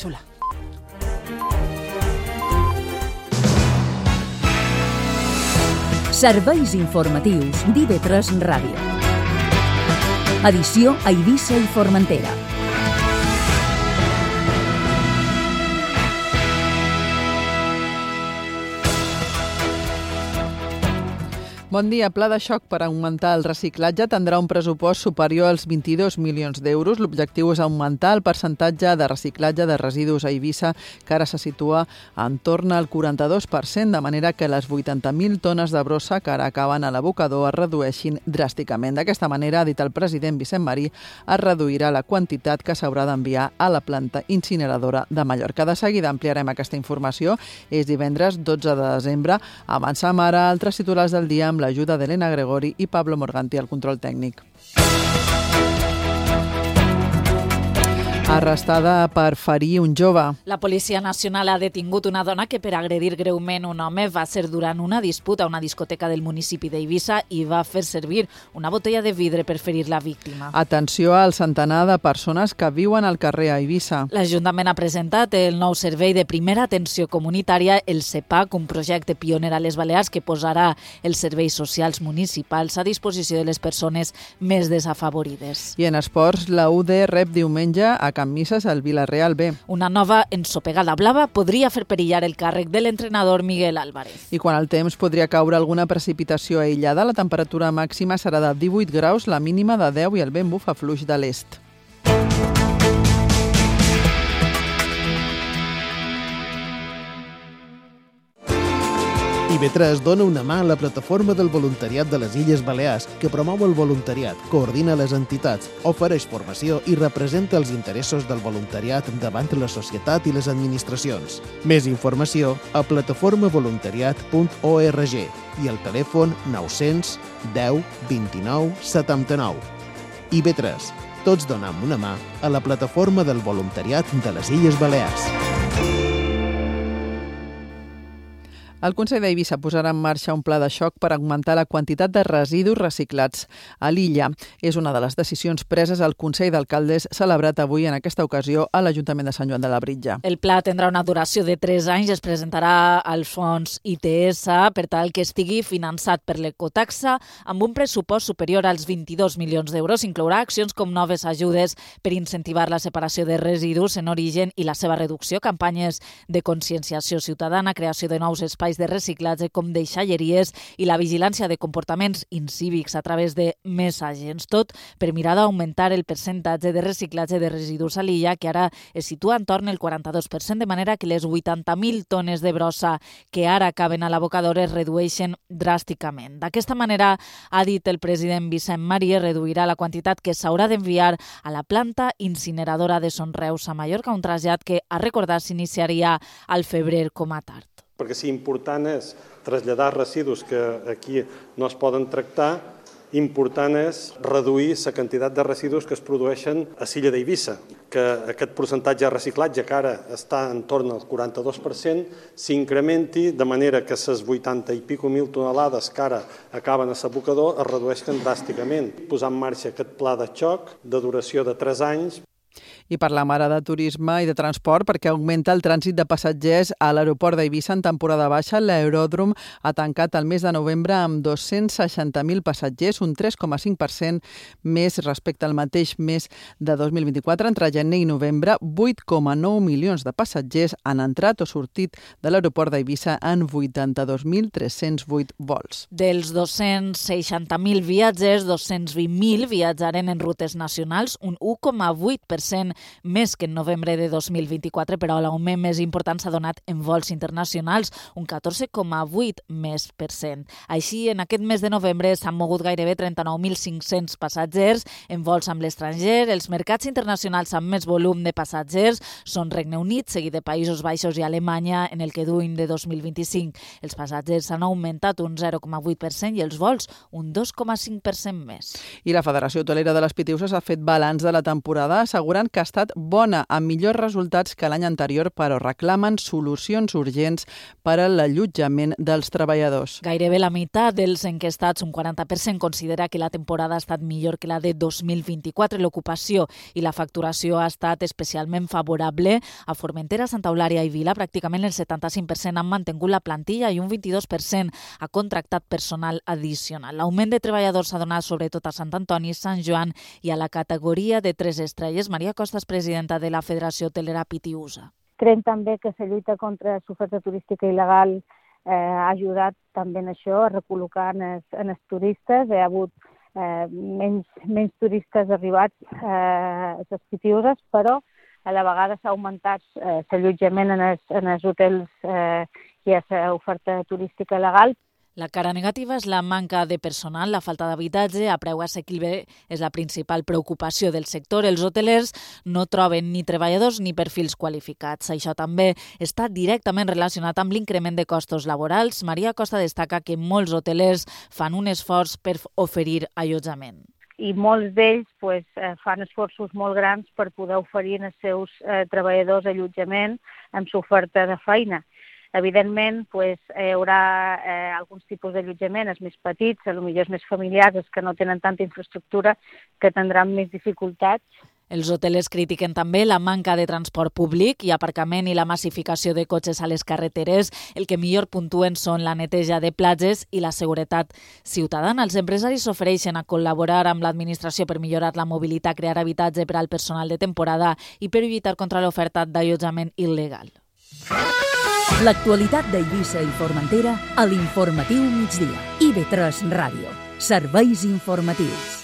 península. Serveis informatius d'IV3 Ràdio. Edició a Eivissa i Formentera. Bon dia. Pla de xoc per augmentar el reciclatge tindrà un pressupost superior als 22 milions d'euros. L'objectiu és augmentar el percentatge de reciclatge de residus a Eivissa, que ara se situa entorn al 42%, de manera que les 80.000 tones de brossa que ara acaben a l'abocador es redueixin dràsticament. D'aquesta manera, ha dit el president Vicent Marí, es reduirà la quantitat que s'haurà d'enviar a la planta incineradora de Mallorca. De seguida ampliarem aquesta informació. És divendres 12 de desembre. Avancem ara a altres titulars del dia amb l'ajuda d'Helena Gregori i Pablo Morganti al control tècnic. Arrestada per ferir un jove. La Policia Nacional ha detingut una dona que per agredir greument un home va ser durant una disputa a una discoteca del municipi d'Eivissa i va fer servir una botella de vidre per ferir la víctima. Atenció al centenar de persones que viuen al carrer a Eivissa. L'Ajuntament ha presentat el nou servei de primera atenció comunitària, el CEPAC, un projecte pioner a les Balears que posarà els serveis socials municipals a disposició de les persones més desafavorides. I en esports, la UD rep diumenge a Can Misses al Vila-real B. Una nova ensopegada blava podria fer perillar el càrrec de l'entrenador Miguel Álvarez. I quan al temps podria caure alguna precipitació aïllada, la temperatura màxima serà de 18 graus, la mínima de 10 i el vent bufa fluix de l'est. IV3 dona una mà a la plataforma del voluntariat de les Illes Balears, que promou el voluntariat, coordina les entitats, ofereix formació i representa els interessos del voluntariat davant la societat i les administracions. Més informació a plataformavoluntariat.org i al telèfon 900 10 29 79. IV3. Tots donem una mà a la plataforma del voluntariat de les Illes Balears. El Consell d'Eivissa posarà en marxa un pla de xoc per augmentar la quantitat de residus reciclats a l'illa. És una de les decisions preses al Consell d'Alcaldes celebrat avui en aquesta ocasió a l'Ajuntament de Sant Joan de Labritja. El pla tindrà una duració de 3 anys i es presentarà als fons ITS per tal que estigui finançat per l'ecotaxa amb un pressupost superior als 22 milions d'euros. Inclourà accions com noves ajudes per incentivar la separació de residus en origen i la seva reducció, campanyes de conscienciació ciutadana, creació de nous espais de reciclatge com deixalleries i la vigilància de comportaments incívics a través de més agents, tot per mirar d'augmentar el percentatge de reciclatge de residus a l'illa, que ara es situa entorn el 42%, de manera que les 80.000 tones de brossa que ara acaben a l'abocador es redueixen dràsticament. D'aquesta manera, ha dit el president Vicent Marí, reduirà la quantitat que s'haurà d'enviar a la planta incineradora de Son Reus a Mallorca, un trasllat que, a recordar, s'iniciaria al febrer com a tard. Perquè si important és traslladar residus que aquí no es poden tractar, important és reduir la quantitat de residus que es produeixen a l'illa d'Eivissa, que aquest percentatge de reciclatge que ara està en torn al 42% s'incrementi de manera que les 80 i pico mil tonelades que ara acaben a l'abocador es redueixen dràsticament. Posar en marxa aquest pla de xoc de duració de 3 anys. I parlem ara de turisme i de transport perquè augmenta el trànsit de passatgers a l'aeroport d'Eivissa en temporada baixa. L'aeròdrom ha tancat el mes de novembre amb 260.000 passatgers, un 3,5% més respecte al mateix mes de 2024. Entre gener i novembre, 8,9 milions de passatgers han entrat o sortit de l'aeroport d'Eivissa en 82.308 vols. Dels 260.000 viatgers, 220.000 viatjaren en rutes nacionals, un 1,8% més que en novembre de 2024, però l'augment més important s'ha donat en vols internacionals, un 14,8%. Així, en aquest mes de novembre s'han mogut gairebé 39.500 passatgers en vols amb l'estranger. Els mercats internacionals amb més volum de passatgers són Regne Unit, seguit de Països Baixos i Alemanya en el que duim de 2025. Els passatgers han augmentat un 0,8% i els vols un 2,5% més. I la Federació Hotelera de les Pitiuses ha fet balanç de la temporada, assegurant que estat bona, amb millors resultats que l'any anterior, però reclamen solucions urgents per a l'allotjament dels treballadors. Gairebé la meitat dels enquestats, un 40%, considera que la temporada ha estat millor que la de 2024. L'ocupació i la facturació ha estat especialment favorable. A Formentera, Santa Eulària i Vila, pràcticament el 75% han mantingut la plantilla i un 22% ha contractat personal addicional. L'augment de treballadors s'ha donat sobretot a Sant Antoni, Sant Joan i a la categoria de 3 estrelles. Maria Costa és presidenta de la Federació Hotelera Pitiusa. Creiem també que la lluita contra l'oferta turística il·legal ha ajudat també en això, a recol·locar en els turistes. Hi ha hagut menys turistes arribats a les Pitiuses, però a la vegada s'ha augmentat l'allotjament en els hotels i a l'oferta turística legal. La cara negativa és la manca de personal, la falta d'habitatge a preu assequible és la principal preocupació del sector. Els hotelers no troben ni treballadors ni perfils qualificats. Això també està directament relacionat amb l'increment de costos laborals. Maria Costa destaca que molts hotelers fan un esforç per oferir allotjament. I molts d'ells fan esforços molt grans per poder oferir als seus treballadors allotjament amb l'oferta de feina. Evidentment, hi haurà alguns tipus d'allotjament, els més petits, potser els més familiars, els que no tenen tanta infraestructura, que tindran més dificultats. Els hotelers critiquen també la manca de transport públic i aparcament i la massificació de cotxes a les carreteres. El que millor puntuen són la neteja de platges i la seguretat ciutadana. Els empresaris s'ofereixen a col·laborar amb l'administració per millorar la mobilitat, crear habitatge per al personal de temporada i per lluitar contra l'oferta d'allotjament il·legal. L'actualitat d'Eivissa i Formentera a l'Informatiu Migdia. IB3 Ràdio. Serveis informatius.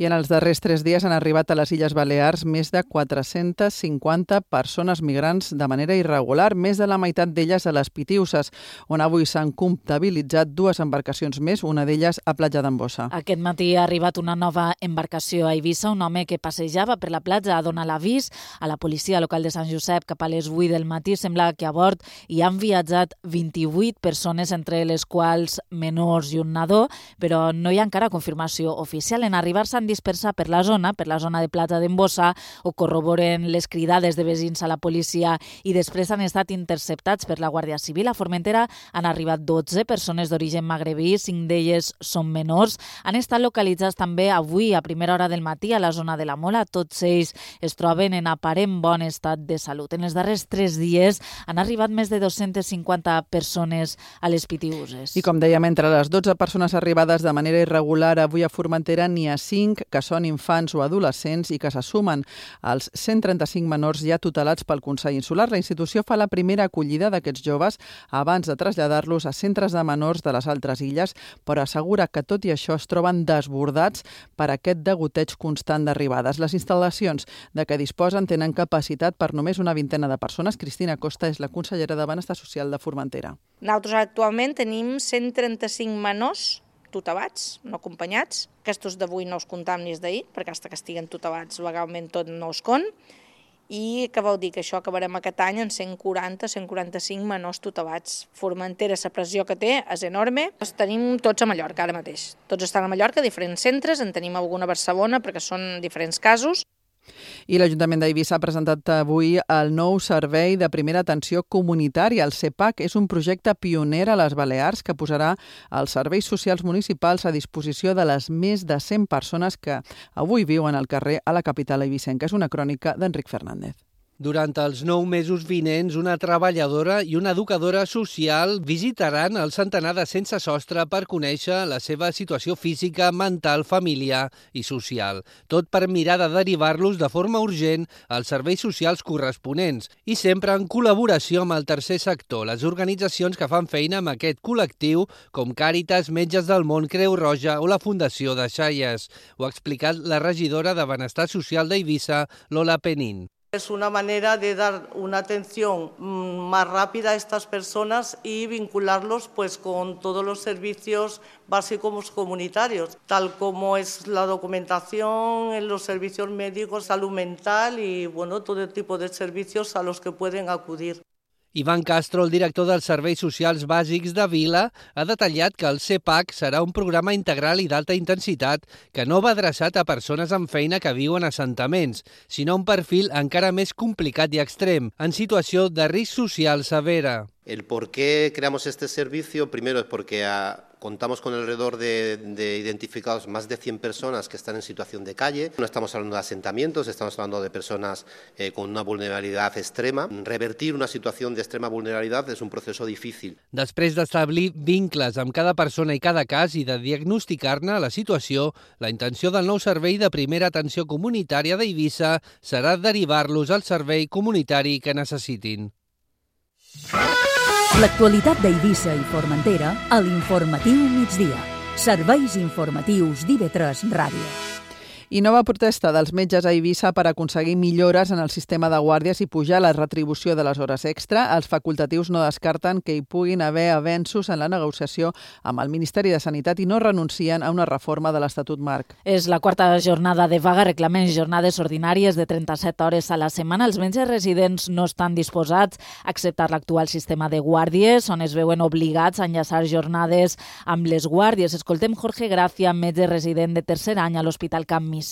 I en els darrers 3 dies han arribat a les Illes Balears més de 450 persones migrants de manera irregular, més de la meitat d'elles a les Pitiuses, on avui s'han comptabilitzat 2 embarcacions més, una d'elles a Platja d'Embossa. Aquest matí ha arribat una nova embarcació a Eivissa. Un home que passejava per la platja ha donat l'avís a la policia local de Sant Josep cap a les 8 del matí. Sembla que a bord hi han viatjat 28 persones, entre les quals menors i un nadó, però no hi ha encara confirmació oficial. En arribar s'han dispersar per la zona de Platja d'Embossa, o corroboren les cridades de veïns a la policia i després han estat interceptats per la Guàrdia Civil. A Formentera han arribat 12 persones d'origen magrebí, 5 d'elles són menors. Han estat localitzats també avui a primera hora del matí a la zona de la Mola. Tots ells es troben en aparent bon estat de salut. En els darrers 3 dies han arribat més de 250 persones a les Pitiuses. I com dèiem, entre les 12 persones arribades de manera irregular avui a Formentera n'hi ha 5 que són infants o adolescents i que se sumen als 135 menors ja tutelats pel Consell Insular. La institució fa la primera acollida d'aquests joves abans de traslladar-los a centres de menors de les altres illes, però assegura que tot i això es troben desbordats per aquest degoteig constant d'arribades. Les instal·lacions de què disposen tenen capacitat per només una vintena de persones. Cristina Costa és la consellera de Benestar Social de Formentera. Nosaltres actualment tenim 135 menors tutelats, no acompanyats. Aquests d'avui no els comptam ni els d'ahir, perquè fins que estiguen tutelats legalment tot no els compten. I què vol dir? Que això acabarem aquest any en 140-145 menors tutelats. Formentera, la pressió que té és enorme. Els tenim tots a Mallorca ara mateix. Tots estan a Mallorca, diferents centres, en tenim alguna a Barcelona perquè són diferents casos. I l'Ajuntament d'Eivissa ha presentat avui el nou servei de primera atenció comunitària. El CEPAC és un projecte pioner a les Balears que posarà els serveis socials municipals a disposició de les més de 100 persones que avui viuen al carrer a la capital eivissenca. És una crònica d'Enric Fernández. Durant els 9 mesos vinents, una treballadora i una educadora social visitaran el centenar de sense sostre per conèixer la seva situació física, mental, familiar i social. Tot per mirar de derivar-los de forma urgent als serveis socials corresponents i sempre en col·laboració amb el tercer sector, les organitzacions que fan feina amb aquest col·lectiu, com Càritas, Metges del Món, Creu Roja o la Fundació de Xaies. Ho ha explicat la regidora de Benestar Social d'Eivissa, Lola Penín. Es una manera de dar una atención más rápida a estas personas y vincularlos con todos los servicios básicos comunitarios, tal como es la documentación, en los servicios médicos, salud mental y todo tipo de servicios a los que pueden acudir. Ivan Castro, el director dels Serveis Socials Bàsics de Vila, ha detallat que el CEPAC serà un programa integral i d'alta intensitat que no va adreçat a persones amb feina que viuen a assentaments, sinó un perfil encara més complicat i extrem, en situació de risc social severa. El por qué creamos este servicio, primero es porque contamos con alrededor de identificados más de 100 personas que están en situación de calle. No estamos hablando de asentamientos, estamos hablando de personas con una vulnerabilidad extrema. Revertir una situación de extrema vulnerabilidad es un proceso difícil. Després d'establir vincles amb cada persona i cada cas i de diagnosticar-ne la situació, la intenció del nou servei de primera atenció comunitària d'Eivissa serà derivar-los al servei comunitari que necessitin. L'actualitat d'Eivissa i Formentera a l'Informatiu Migdia. Serveis informatius d'IV3 Ràdio. I nova protesta dels metges a Eivissa per aconseguir millores en el sistema de guàrdies i pujar la retribució de les hores extra. Els facultatius no descarten que hi puguin haver avenços en la negociació amb el Ministeri de Sanitat i no renuncien a una reforma de l'Estatut Marc. És la quarta jornada de vaga, reclamen jornades ordinàries de 37 hores a la setmana. Els metges residents no estan disposats a acceptar l'actual sistema de guàrdies, on es veuen obligats a enllaçar jornades amb les guàrdies. Escoltem Jorge Gracia, metge resident de tercer any a l'Hospital Camp Mises.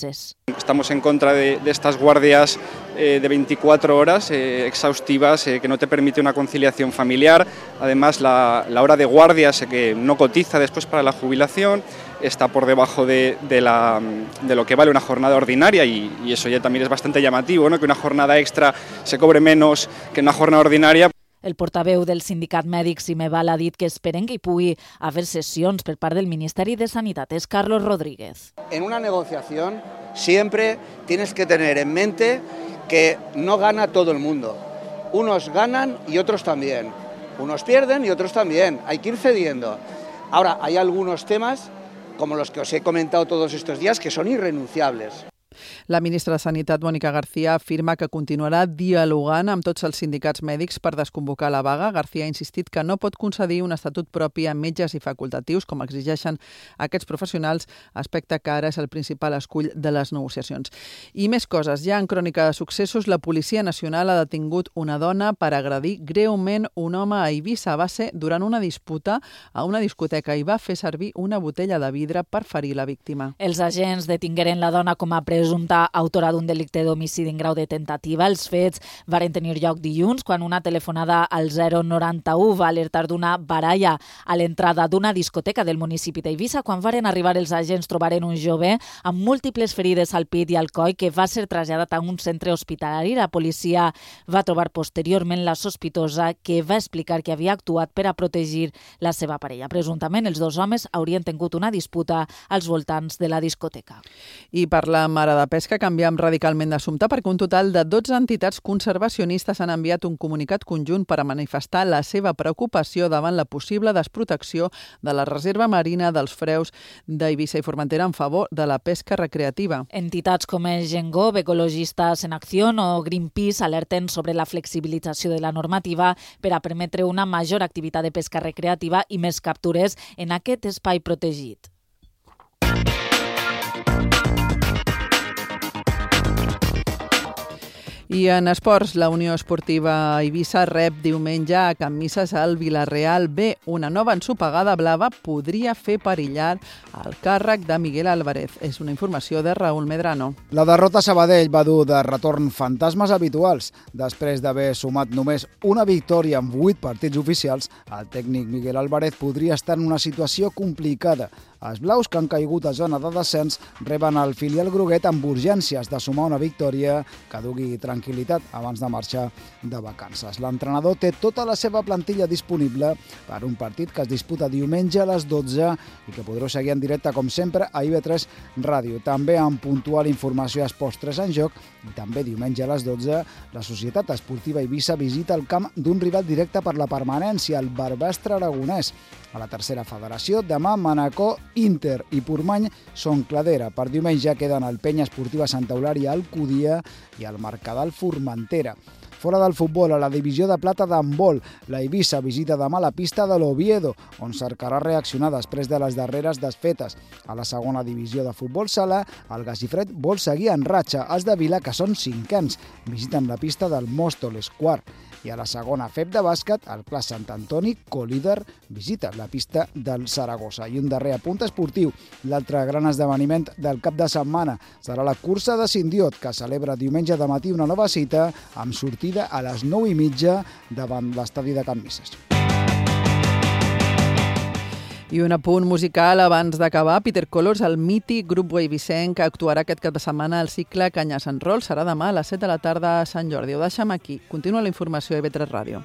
Estamos en contra de estas guardias de 24 horas exhaustivas que no te permite una conciliación familiar. Además, la hora de guardias que no cotiza después para la jubilación está por debajo de lo que vale una jornada ordinaria y eso ya también es bastante llamativo, ¿no? Que una jornada extra se cobre menos que una jornada ordinaria. El portaveu del sindicat mèdic Simeval ha dit que esperen que hi pugui haver sessions per part del Ministeri de Sanitat. És Carlos Rodríguez. En una negociación siempre tienes que tener en mente que no gana todo el mundo. Unos ganan y otros también. Unos pierden y otros también. Hay que ir cediendo. Ahora, hay algunos temas, como los que os he comentado todos estos días, que son irrenunciables. La ministra de Sanitat, Mónica García, afirma que continuarà dialogant amb tots els sindicats mèdics per desconvocar la vaga. García ha insistit que no pot concedir un estatut propi a metges i facultatius, com exigeixen aquests professionals, aspecte que ara és el principal escull de les negociacions. I més coses. Ja en crònica de successos, la Policia Nacional ha detingut una dona per agredir greument un home a Eivissa. Va ser durant una disputa a una discoteca i va fer servir una botella de vidre per ferir la víctima. Els agents detingueren la dona com a presumpta autora d'un delicte d'homicidi en grau de tentativa. Els fets varen tenir lloc dilluns quan una telefonada al 091 va alertar d'una baralla a l'entrada d'una discoteca del municipi d'Eivissa. Quan varen arribar els agents trobaren un jove amb múltiples ferides al pit i al coll que va ser traslladat a un centre hospitalari. La policia va trobar posteriorment la sospitosa que va explicar que havia actuat per a protegir la seva parella. Presumptament els dos homes haurien tingut una disputa als voltants de la discoteca. I parlem ara de pesca, canviem radicalment d'assumpte perquè un total de 12 entitats conservacionistes han enviat un comunicat conjunt per a manifestar la seva preocupació davant la possible desprotecció de la reserva marina dels freus d'Eivissa i Formentera en favor de la pesca recreativa. Entitats com Gengov, Ecologistes en Acció o Greenpeace alerten sobre la flexibilització de la normativa per a permetre una major activitat de pesca recreativa i més captures en aquest espai protegit. I en esports, la Unió Esportiva Eivissa rep diumenge a Can Misses al Vilareal B. Una nova ensopegada blava podria fer perillar el càrrec de Miguel Álvarez. És una informació de Raúl Medrano. La derrota a Sabadell va dur de retorn fantasmes habituals. Després d'haver sumat només una victòria en 8 partits oficials, el tècnic Miguel Álvarez podria estar en una situació complicada. Els blaus, que han caigut a zona de descens, reben el filial groguet amb urgències de sumar una victòria que dugui tranquil·litat abans de marxar de vacances. L'entrenador té tota la seva plantilla disponible per un partit que es disputa diumenge a les 12 i que podreu seguir en directe, com sempre, a IB3 Ràdio. També amb puntual informació a Esports 3 en joc i també diumenge a les 12 la Societat Esportiva Eivissa visita el camp d'un rival directe per la permanència, el Barbastre Aragonès. A la tercera federació, demà Manacor, Inter i Portmany són cladera. Per diumenge queden el Penya Esportiva Santa Eulària Alcúdia i el Mercadal Formentera. Fora del futbol, a la divisió de plata d'handbol, la Eivissa visita demà la pista de l'Oviedo, on cercarà reaccionar després de les darreres desfetes. A la segona divisió de futbol sala, el Gallifred vol seguir en ratxa. Els de Vila, que són cinquens, visiten la pista del Móstoles, quart. I a la segona FEP de bàsquet, el Clas Sant Antoni, colíder, visita la pista del Saragossa. I un darrer apunt esportiu. L'altre gran esdeveniment del cap de setmana serà la cursa de Sindiot, que celebra diumenge de matí una nova cita amb sortida a les 9:30 davant l'estadi de Can Misses. I un apunt musical abans d'acabar. Peter Colors, el mític grup eivissenc que actuarà aquest cap de setmana al cicle Canyes en Roll, serà demà a les 7 de la tarda a Sant Jordi. Ho deixem aquí. Continua la informació a IB3 Ràdio.